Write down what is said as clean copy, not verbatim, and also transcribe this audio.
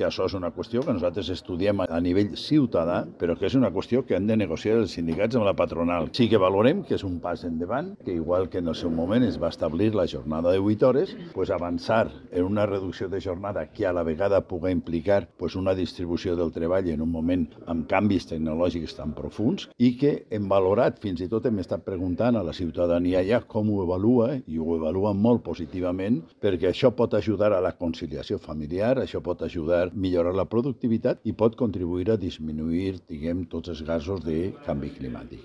que això és una qüestió que nosaltres estudiem a nivell ciutadà, però que és una qüestió que han de negociar els sindicats amb la patronal. Sí que valorem que és un pas endavant, que igual que en el seu moment es va establir la jornada de 8 hores, pues avançar en una reducció de jornada que a la vegada pugui implicar pues una distribució del treball en un moment amb canvis tecnològics tan profuns i que hem valorat, fins i tot hem estat preguntant a la ciutadania ja com ho evalua, i ho evalua molt positivament, perquè això pot ajudar a la conciliació familiar, això pot ajudar a millorar la productivitat i pot contribuir a disminuir, diguem, tots els gasos de canvi climàtic.